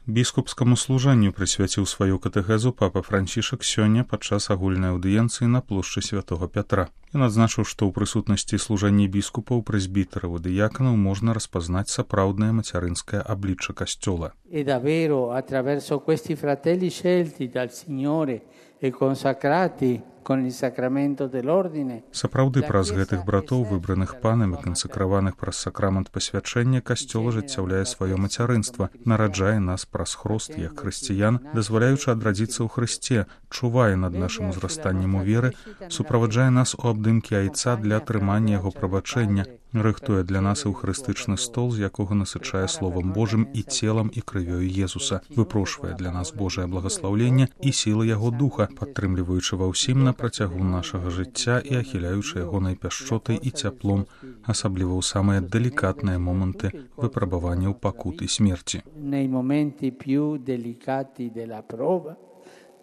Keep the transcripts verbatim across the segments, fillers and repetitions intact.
Біскупскаму служанню прысвяціў сваю катэхезу папа Францішак сёння падчас агульнай аўдыенцыі на плошчы святого Пятра. Ён адзначыў, што ў прысутнасці служэння біскупаў, прэзбітараў і дыяканаў можна распазнаць сапраўднае мацярынскае аблічча касцёла. E davvero attraverso questi fratelli scelti dal Signore e consacrati con il sacramento dell'ordine. Сапраўды праз гэтых братоў, выбраных панам і кансакраваных праз сакрамент пасвячэння, касцёл ажыццяўляе сваё мацярынства, нараджае нас праз хрост як хрысціян, дазваляючы адрадзіцца ў Хрысце, чувае над нашым узрастаннем у веры, суправаджае нас у абдымкі айца для атрымання яго прабачэння, рыхтуе для нас эўхарыстычны стол, з якога насычае Словам Божым і целам і крывёю Езуса, выпрошвае для нас Божае благаслаўленне і сілы яго духа, падтрымліваючы ва ўсім на працягу нашага жыцця і ахіляючы ягонай пяшчотай і цяплом, асабліва ў самыя далікатныя моманты выпрабаванняў пакут і смерці. Nei momenti più delicati della prova,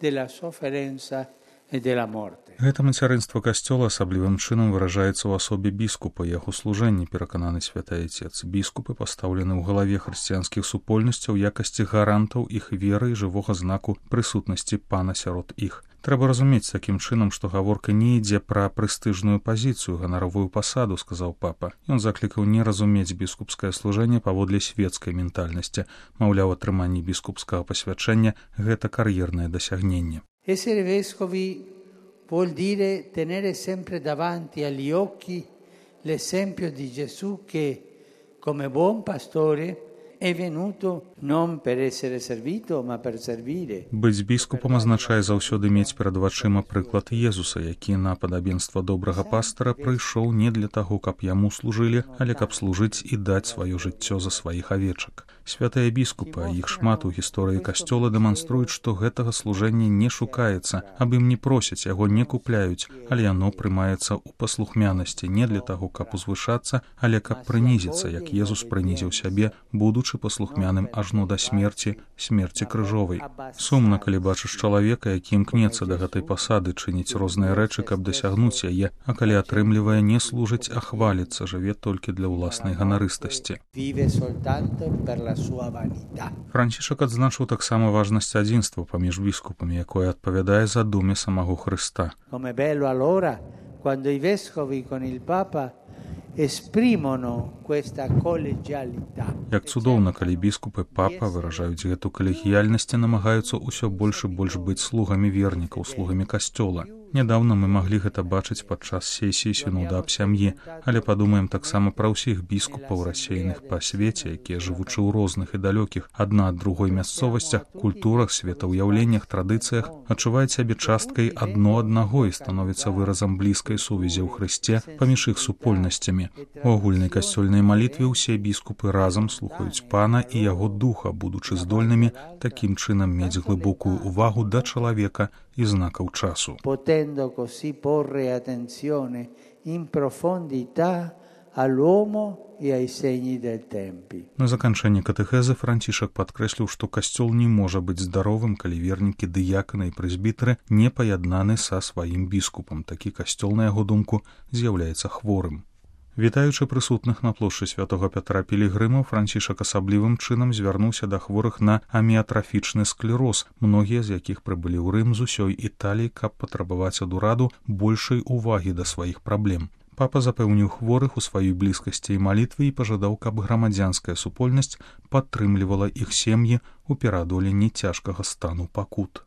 della sofferenza e della morte. Гэта мацярынства касцёла асаблівым чынам выражаецца ў асобе біскупа і яго служэнні, перакананы святы Айцец. Біскупы пастаўлены ў галаве хрысціянскіх супольнасцяў якасці гарантаў іх веры і жывога знаку прысутнасці пана сярод іх. Трэба разумець такім чынам, што гаворка не ідзе пра прэстыжную пазіцыю, ганаровую пасаду, сказаў папа. Ён заклікаў не разумець біскупскае служэнне паводле свецкай ментальнасці. Маўляў, атрыманне біскупскага пасвячэння – гэта кар'ернае дасягненне. Essere vescovi vuol dire tenere sempre davanti agli occhi l'esempio di Gesù che, come buon pastore, è venuto non per essere servito, ma per servire. Быць біскупам азначае заўсёды мець перад вачыма прыклад Езуса, які на падабенства добрага пастара прыйшоў не для таго, каб яму служылі, але каб служыць і даць сваё жыццё за сваіх авечак. Святыя біскупы, а іх шмат у гісторыі касцёла, дэманструюць, што гэтага служэння не шукаецца, аб ім не просяць, яго не купляюць, але яно прымаецца ў паслухмянасці не для таго, каб узвышацца, але каб прынізіцца, як Езус прынізіў сябе, будучы паслухмяным ажно да смерці, смерці крыжовай. Сумна, калі бачыш чалавека, які імкнецца да гэтай пасады, чыніць розныя рэчы, каб дасягнуць яе, а калі атрымлівае, не служыць, а хваліцца, жыве толькі для ўласнай ганарыстасці. Францішак адзначыў таксама важнасць адзінства паміж біскупамі, якое адпавядае задуме самого Хрыста. Come bello allora quando i vescovi con il Papa esprimono questa collegialità. Як цудоўна, калі біскупы папа выражаюць гэту калегіяльнасць і намагаюцца ўсё больш і больш быць слугамі вернікаў, слугамі касцёла. Нядаўна мы маглі гэта бачыць падчас сесіі сінуда аб сям'і, але падумаем таксама пра ўсіх біскупаў, рассеяных па свеце, якія, жывучы ў розных і далёкіх адна ад другой мясцовасцях, культурах, светаўяўленнях, традыцыях, адчуваюць сябе часткай адно аднаго і становіцца выразам блізкай сувязі ў Хрысце паміж іх супольнасцямі. У агульнай касцёльнай малітве ўсе біскупы разам слухаюць пана і яго духа, будучы здольнымі такім чынам мець глыбокую ўвагу да чалавека і знакаў часу. Potendo così porre attenzione in profondità all'uomo e ai segni del tempi. На заканчэнне катэхезы Францішак падкрэсліў, што касцёл не можа быць здаровым, калі вернікі, дыяканы і прэзбітары не паяднаны са сваім біскупам. Такі касцёл, на яго думку, з'яўляецца хворым. Вітаючы прысутных на плошчы святого Пятра пілігрымаў, Францішак асаблівым чынам звярнуўся да хворых на аміятрафічны склероз, многія з якіх прыбылі ў Рым з усёй Італіі, каб патрабаваць ад ураду большай увагі да сваіх праблем. Папа запэўніў хворых у сваёй блізкасці і малітвы і пажадаў, каб грамадзянская супольнасць падтрымлівала іх сем'і ў пераадоленні цяжкага стану пакут.